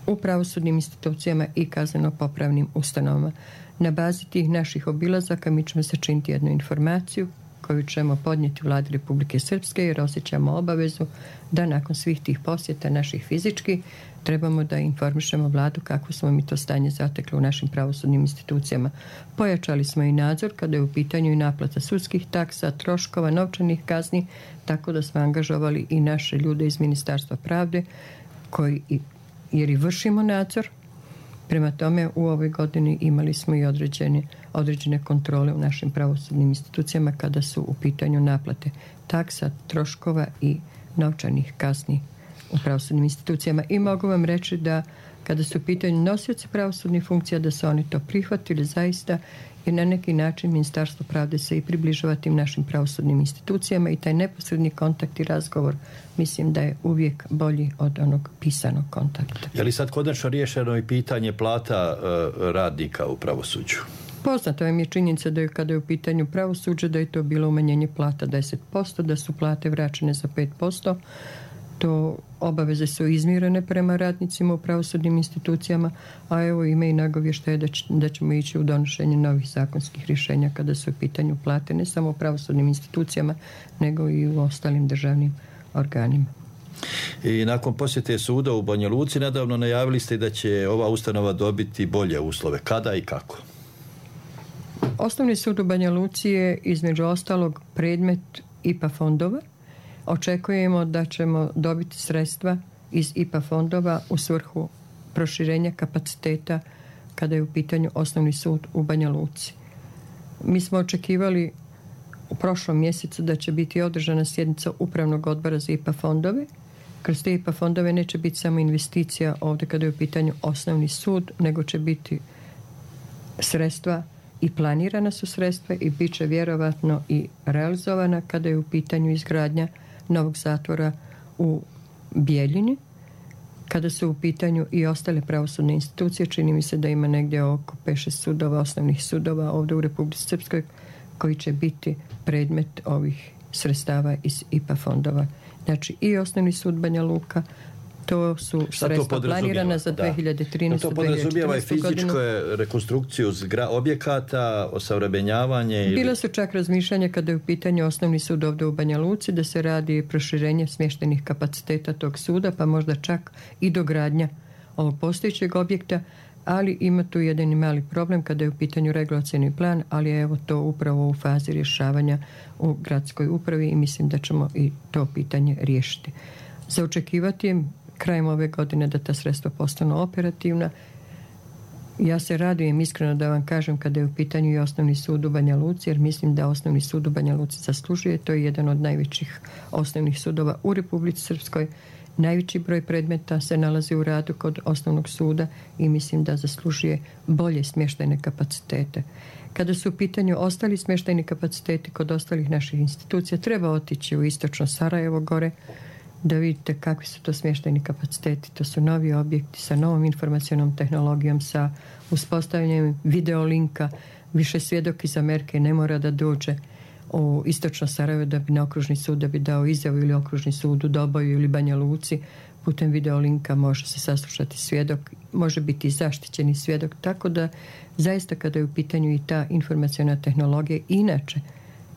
u pravosudnim institucijama i kazneno-popravnim ustanovama. Na bazi tih naših obilazaka mi ćemo sačiniti jednu informaciju koju ćemo podnijeti Vladi Republike Srpske jer osjećamo obavezu da nakon svih tih posjeta naših fizičkih trebamo da informišemo Vladu kako smo mi to stanje zatekli u našim pravosudnim institucijama. Pojačali smo i nadzor kada je u pitanju i naplata sudskih taksa, troškova, novčanih kazni, tako da smo angažovali i naše ljude iz Ministarstva pravde koji, jer i vršimo nadzor. Prema tome, u ovoj godini imali smo i određene, određene kontrole u našim pravosudnim institucijama kada su u pitanju naplate taksa, troškova i novčanih kazni u pravosudnim institucijama. I mogu vam reći da kada su u pitanju nosioci pravosudnih funkcija, da su oni to prihvatili zaista, jer na neki način Ministarstvo pravde se i približava tim našim pravosudnim institucijama i taj neposredni kontakt i razgovor mislim da je uvijek bolji od onog pisanog kontakta. Je li sad konačno riješeno i pitanje plata uh, radnika u pravosuđu? Poznato vam je činjenica da je kada je u pitanju pravosuđa da je to bilo umanjenje plata deset posto, da su plate vraćene za pet posto. To obaveze su izmirene prema radnicima u pravosudnim institucijama, a evo ima i nagovještaje da, da ćemo ići u donošenje novih zakonskih rješenja kada su u pitanju plate ne samo u pravosudnim institucijama, nego i u ostalim državnim organima. I nakon posjete suda u Banja Luci nedavno najavili ste da će ova ustanova dobiti bolje uslove. Kada i kako? Osnovni sud u Banja Luci je između ostalog predmet I P A fondova. Očekujemo da ćemo dobiti sredstva iz I P A fondova u svrhu proširenja kapaciteta kada je u pitanju osnovni sud u Banja Luci. Mi smo očekivali u prošlom mjesecu da će biti održana sjednica Upravnog odbora za I P A fondove. Kroz te I P A fondove neće biti samo investicija ovdje kada je u pitanju osnovni sud, nego će biti sredstva i planirana su sredstva i bit će vjerovatno i realizovana kada je u pitanju izgradnja novog zatvora u Bijeljini. Kada su u pitanju i ostale pravosudne institucije, čini mi se da ima negdje oko pet šest sudova, osnovnih sudova ovdje u Republici Srpskoj koji će biti predmet ovih sredstava iz I P A fondova. Znači i osnovni sud Banja Luka, to su sredstva planirana za dvije hiljade trinaestu. To podrazumijeva i fizičku rekonstrukciju zgra, objekata, osavremenjavanje? Ili... Bila su čak razmišljanja kada je u pitanju osnovni sud ovdje u Banja Luci da se radi proširenje smještajnih kapaciteta tog suda, pa možda čak i dogradnja ovog postojećeg objekta, ali ima tu jedan mali problem kada je u pitanju regulacioni plan, ali je evo to upravo u fazi rješavanja u gradskoj upravi i mislim da ćemo i to pitanje riješiti. Za očekivati je krajem ove godine da ta sredstva postanu operativna. Ja se radujem iskreno da vam kažem kada je u pitanju i osnovni sud u Banja Luci, jer mislim da osnovni sud u Banja Luci zaslužuje. To je jedan od najvećih osnovnih sudova u Republici Srpskoj. Najveći broj predmeta se nalazi u radu kod osnovnog suda i mislim da zaslužuje bolje smještajne kapacitete. Kada su u pitanju ostali smještajni kapaciteti kod ostalih naših institucija, treba otići u istočno Sarajevo gore, da vidite kakvi su to smještajni kapaciteti. To su novi objekti sa novom informacionom tehnologijom, sa uspostavljanjem videolinka. Više svjedok iz Amerike ne mora da dođe u istočno Sarajevo da bi na okružni sud da bi dao izjavu ili okružni sud u Doboju ili Banja Luci. Putem videolinka može se saslušati svjedok, može biti zaštićeni svjedok. Tako da zaista kada je u pitanju i ta informaciona tehnologija, inače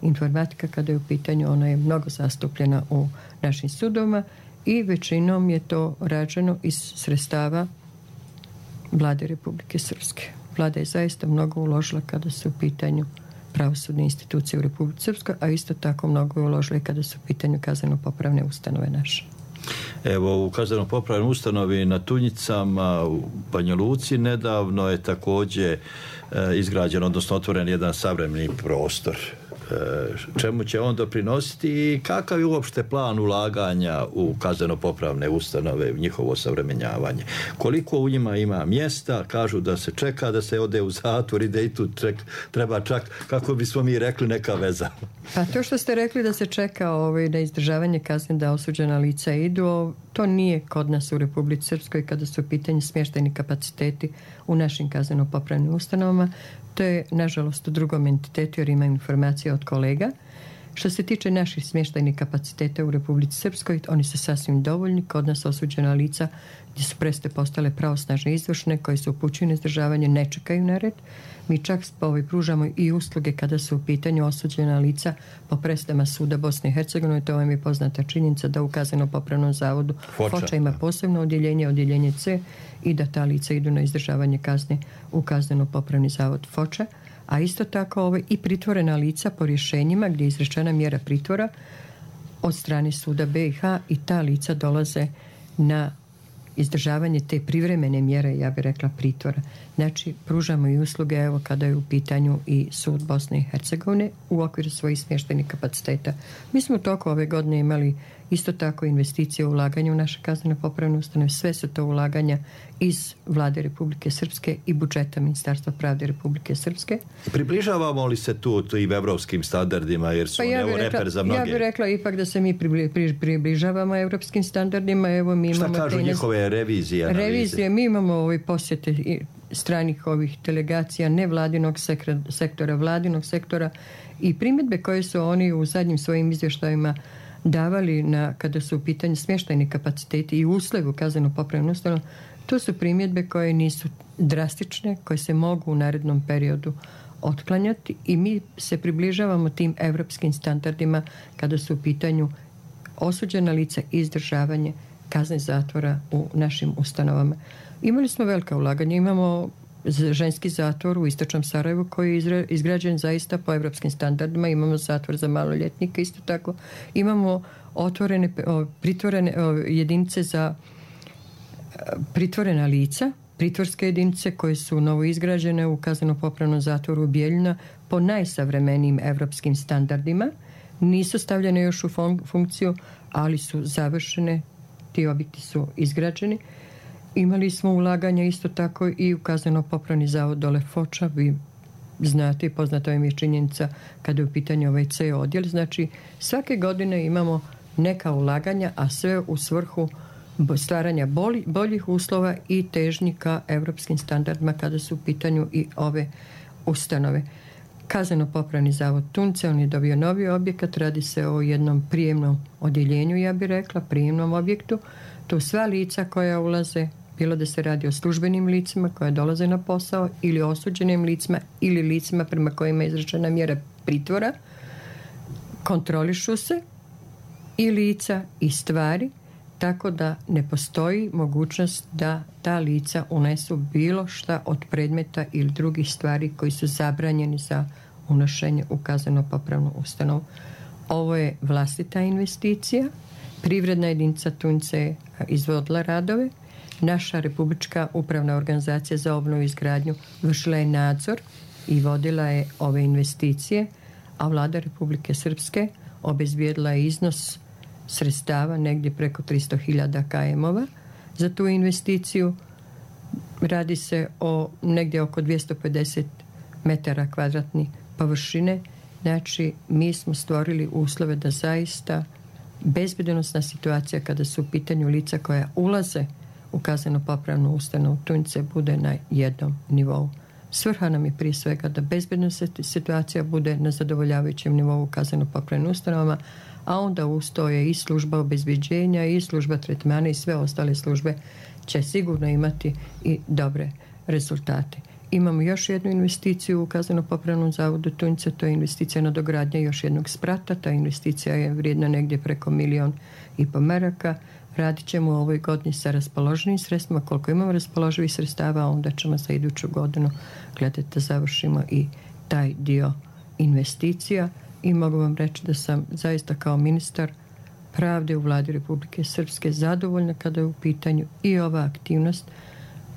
informatika kada je u pitanju, ona je mnogo zastupljena u našim sudovima i većinom je to rađeno iz sredstava Vlade Republike Srpske. Vlada je zaista mnogo uložila kada su u pitanju pravosudne institucije u Republici Srpskoj, a isto tako mnogo je uložila i kada su u pitanju kazneno-popravne ustanove naše. Evo, u kazneno-popravnoj ustanovi na Tunjicama u Banja Luci nedavno je također e, izgrađen, odnosno otvoren jedan savremeni prostor. Čemu će on doprinositi i kakav je uopšte plan ulaganja u kazneno-popravne ustanove, njihovo savremenjavanje? Koliko u njima ima mjesta? Kažu da se čeka da se ode u zatvor i da i tu ček, treba čak, kako bismo mi rekli, neka veza. Pa to što ste rekli da se čeka ovaj, da izdržavanje kazne da osuđena lica idu, to nije kod nas u Republici Srpskoj kada su u pitanju smještajni kapaciteti u našim kazneno-popravnim ustanovama. To je, nažalost, u drugom entitetu jer imam informacije od kolega. Što se tiče naših smještajnih kapaciteta u Republici Srpskoj, oni su sasvim dovoljni. Kod nas osuđena lica gdje su preste postale pravosnažne izvršne koji su upućuju na izdržavanje ne čekaju na red. Mi čak ovaj, pružamo i usluge kada su u pitanju osuđena lica po prestama suda Bosne i Hercegovine. To vam je poznata činjenica da u kazneno-popravnom zavodu Foča, Foča ima posebno odjeljenje, odjeljenje C, i da ta lica idu na izdržavanje kazne u kazneno-popravni zavod Foča. A isto tako ovaj, i pritvorena lica po rješenjima gdje je izrečena mjera pritvora od strane suda B i H i ta lica dolaze na izdržavanje te privremene mjere, ja bih rekla pritvora. Znači, pružamo i usluge, evo, kada je u pitanju i sud Bosne i Hercegovine u okviru svojih smještajnih kapaciteta. Mi smo u toku ove godine imali Isto tako investicije u ulaganje u naše kazneno popravne ustanove, sve su to ulaganja iz Vlade Republike Srpske i budžeta Ministarstva pravde Republike Srpske. Približavamo li se tu tim evropskim standardima, jer su pa ja evo rekla, reper za mnoge? Ja bih rekla ipak da se mi približavamo evropskim standardima. Evo, mi Šta imamo kažu te njihove revizije, analize? Revizije, mi imamo ove posjete stranih ovih delegacija, nevladinog sektora, vladinog sektora i primjedbe koje su oni u zadnjim svojim izvještajima davali na, kada su u pitanju smještajni kapaciteti i uslovi u kazneno popravnu ustanovu, to su primjedbe koje nisu drastične, koje se mogu u narednom periodu otklanjati i mi se približavamo tim evropskim standardima kada su u pitanju osuđena lica i izdržavanje kazne zatvora u našim ustanovama. Imali smo velika ulaganja, imamo ženski zatvor u istočnom Sarajevu koji je izgrađen zaista po evropskim standardima, imamo zatvor za maloljetnike isto tako, imamo otvorene, pritvorene jedinice za pritvorena lica, pritvorske jedinice koje su novo izgrađene u kazneno-popravnom zatvoru Bijeljina po najsavremenijim evropskim standardima. Nisu stavljene još u funkciju, ali su završene, ti objekti su izgrađeni. Imali smo ulaganja isto tako i u kazneno-popravni zavod dole Foča. Vi znate i poznata vam je činjenica kada je u pitanju ovaj C odjel. Znači, svake godine imamo neka ulaganja, a sve u svrhu stvaranja bolji, boljih uslova i težnji ka evropskim standardima kada su u pitanju i ove ustanove. Kazneno-popravni zavod Tunce, on je dobio novi objekat, radi se o jednom prijemnom odjeljenju, ja bih rekla, prijemnom objektu. Tu sva lica koja ulaze, bilo da se radi o službenim licima koja dolaze na posao ili osuđenim licima ili licima prema kojima je izrečena mjera pritvora, kontrolišu se i lica i stvari, tako da ne postoji mogućnost da ta lica unesu bilo šta od predmeta ili drugih stvari koji su zabranjeni za unošenje u kazneno-popravnu ustanovu. Ovo je vlastita investicija. Privredna jedinica Tunce je izvodila radove. Naša Republička upravna organizacija za obnovu i izgradnju vršila je nadzor i vodila je ove investicije, a Vlada Republike Srpske obezbijedila je iznos sredstava negdje preko tristo hiljada kajemova za tu investiciju. Radi se o negdje oko dvjesto pedeset metara kvadratni površine. Znači, mi smo stvorili uslove da zaista bezbednosna situacija kada su u pitanju lica koja ulaze u kazneno-popravnu ustanovu Tunce bude na jednom nivou. Svrha nam je prije svega da bezbednosna situacija bude na zadovoljavajućem nivou u kazneno-popravnim ustanovama, a onda ustoje i služba obezbeđenja i služba tretmana i sve ostale službe će sigurno imati i dobre rezultate. Imamo još jednu investiciju u kazneno-popravnom zavodu Tunce, to je investicija na dogradnje još jednog sprata. Ta investicija je vrijedna negdje preko milijon i po maraka. Radit ćemo u ovoj godini sa raspoloženim sredstvima. Koliko imamo raspoloživih sredstava, onda ćemo za iduću godinu gledati da završimo i taj dio investicija. I mogu vam reći da sam zaista kao ministar pravde u Vladi Republike Srpske zadovoljna kada je u pitanju i ova aktivnost,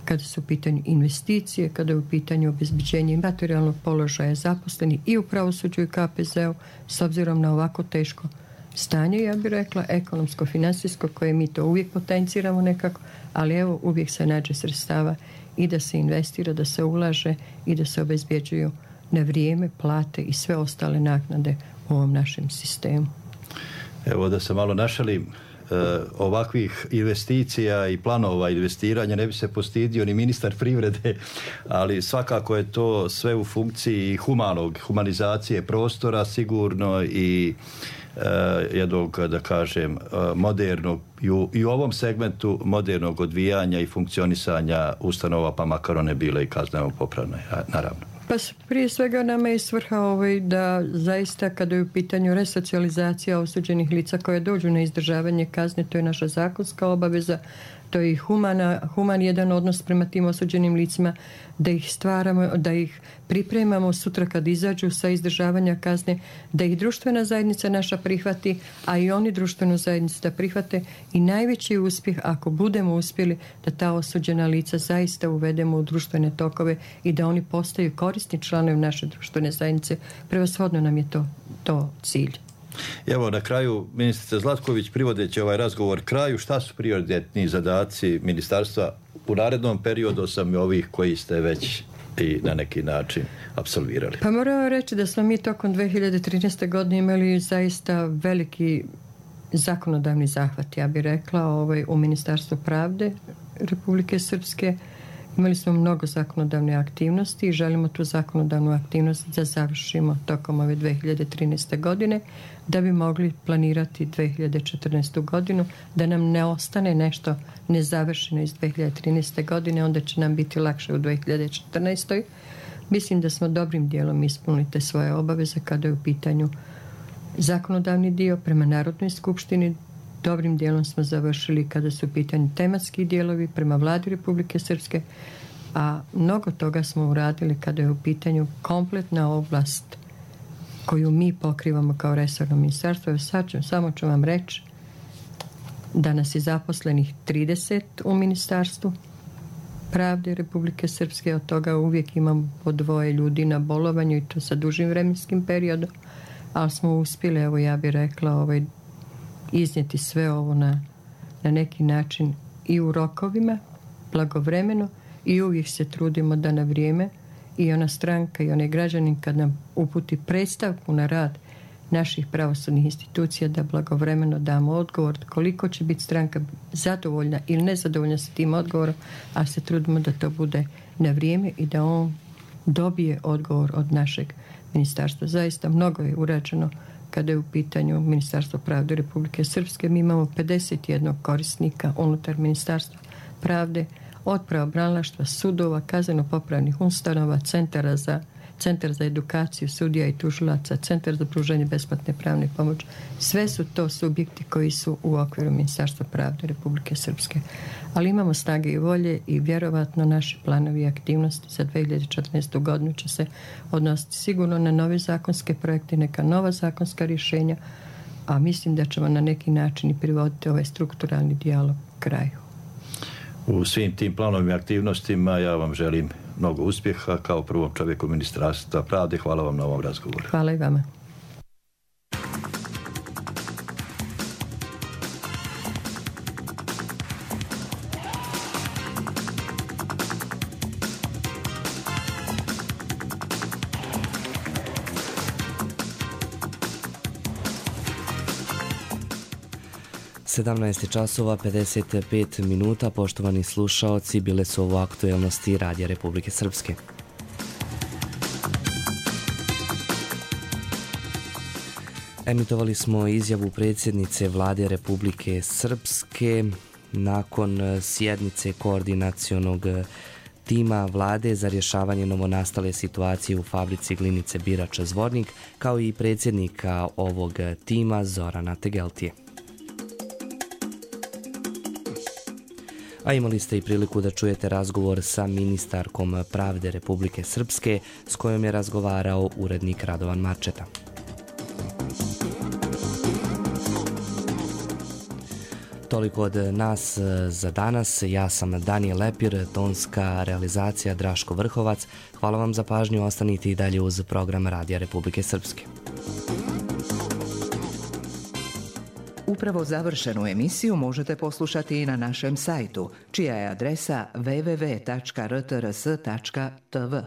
kada su u pitanju investicije, kada je u pitanju obezbeđenje materijalnog položaja zaposlenih i u pravosuđu i K P Z-u, s obzirom na ovako teško stanje, ja bih rekla, ekonomsko-finansijsko, koje mi to uvijek potenciramo nekako, ali evo, uvijek se nađe sredstava i da se investira, da se ulaže i da se obezbjeđuju na vrijeme plate i sve ostale naknade u ovom našem sistemu. Evo da se malo našalim, ovakvih investicija i planova investiranja ne bi se postidio ni ministar privrede, ali svakako je to sve u funkciji humanog, humanizacije prostora sigurno i jednog, da kažem, modernog i u, i u ovom segmentu modernog odvijanja i funkcionisanja ustanova, pa makar one bile i kazneno popravne, naravno. Pa prije svega nama je svrha ovaj da zaista kada je u pitanju resocijalizacija osuđenih lica koje dođu na izdržavanje kazne, to je naša zakonska obaveza, to je i humana, human jedan odnos prema tim osuđenim licima, da ih stvaramo, da ih pripremamo sutra kad izađu sa izdržavanja kazne, da ih društvena zajednica naša prihvati, a i oni društvenu zajednicu da prihvate i najveći uspjeh ako budemo uspjeli da ta osuđena lica zaista uvedemo u društvene tokove i da oni postaju korisni članovi naše društvene zajednice. Prevashodno nam je to, to cilj. Evo na kraju, ministrica Zlatković, privodeći ovaj razgovor kraju, šta su prioritetni zadaci ministarstva u narednom periodu, osim ovih koji ste već i na neki način apsolvirali? Pa moram reći da smo mi tokom dve hiljade trinaeste. godine imali zaista veliki zakonodavni zahvat, ja bih rekla, ovaj, u Ministarstvu pravde Republike Srpske. Imali smo mnogo zakonodavne aktivnosti i želimo tu zakonodavnu aktivnost da završimo tokom ove dve hiljade trinaeste. godine, da bi mogli planirati dve hiljade četrnaestu. godinu, da nam ne ostane nešto nezavršeno iz dve hiljade trinaeste. godine, onda će nam biti lakše u dve hiljade četrnaestoj. Mislim da smo dobrim dijelom ispunili te svoje obaveze kada je u pitanju zakonodavni dio prema Narodnoj skupštini. Dobrim dijelom smo završili kada su u pitanju tematski dijelovi prema Vladi Republike Srpske, a mnogo toga smo uradili kada je u pitanju kompletna oblast koju mi pokrivamo kao resorno ministarstvo. Sad ću, samo ću vam reći da nas je zaposlenih trideset u Ministarstvu pravde Republike Srpske, od toga uvijek imam po dvoje ljudi na bolovanju i to sa dužim vremenskim periodom, ali smo uspjeli, evo ja bih rekla, ovaj, iznijeti sve ovo na, na neki način i u rokovima, blagovremeno, i uvijek se trudimo da na vrijeme i ona stranka i onaj građanin kad nam uputi predstavku na rad naših pravosudnih institucija da blagovremeno damo odgovor koliko će biti stranka zadovoljna ili nezadovoljna sa tim odgovorom, a se trudimo da to bude na vrijeme i da on dobije odgovor od našeg ministarstva. Zaista mnogo je urađeno kada je u pitanju Ministarstvo pravde Republike Srpske. Mi imamo pedeset jedan korisnika unutar Ministarstva pravde, od pravobranilaštva, sudova, kazneno-popravnih ustanova, centara za, centar za edukaciju sudija i tužilaca, centar za pružanje besplatne pravne pomoći. Sve su to subjekti koji su u okviru Ministarstva pravde Republike Srpske. Ali imamo snage i volje i vjerovatno naši planovi i aktivnosti za dve hiljade četrnaestu. godinu će se odnositi sigurno na nove zakonske projekte, neka nova zakonska rješenja, a mislim da ćemo na neki način i privoditi ovaj strukturalni dijalog kraju. U svim tim planovima i aktivnostima ja vam želim mnogo uspjeha kao prvom čovjeku Ministarstva pravde. Hvala vam na ovom razgovoru. Hvala i vama. sedamnaest časova pedeset pet minuta, poštovani slušaoci, bile su ovo aktuelnosti Radija Republike Srpske. Emitovali smo izjavu predsjednice Vlade Republike Srpske nakon sjednice koordinacionog tima Vlade za rješavanje novonastale situacije u fabrici glinice Birač Zvornik, kao i predsjednika ovog tima Zorana Tegeltije. A imali ste i priliku da čujete razgovor sa ministarkom pravde Republike Srpske s kojom je razgovarao urednik Radovan Marčeta. Toliko od nas za danas. Ja sam Danijel Lepir, tonska realizacija Draško Vrhovac. Hvala vam za pažnju, ostanite i dalje uz program Radija Republike Srpske. Upravo završenu emisiju možete poslušati i na našem sajtu, čija je adresa w w w tačka r t r s tačka t v.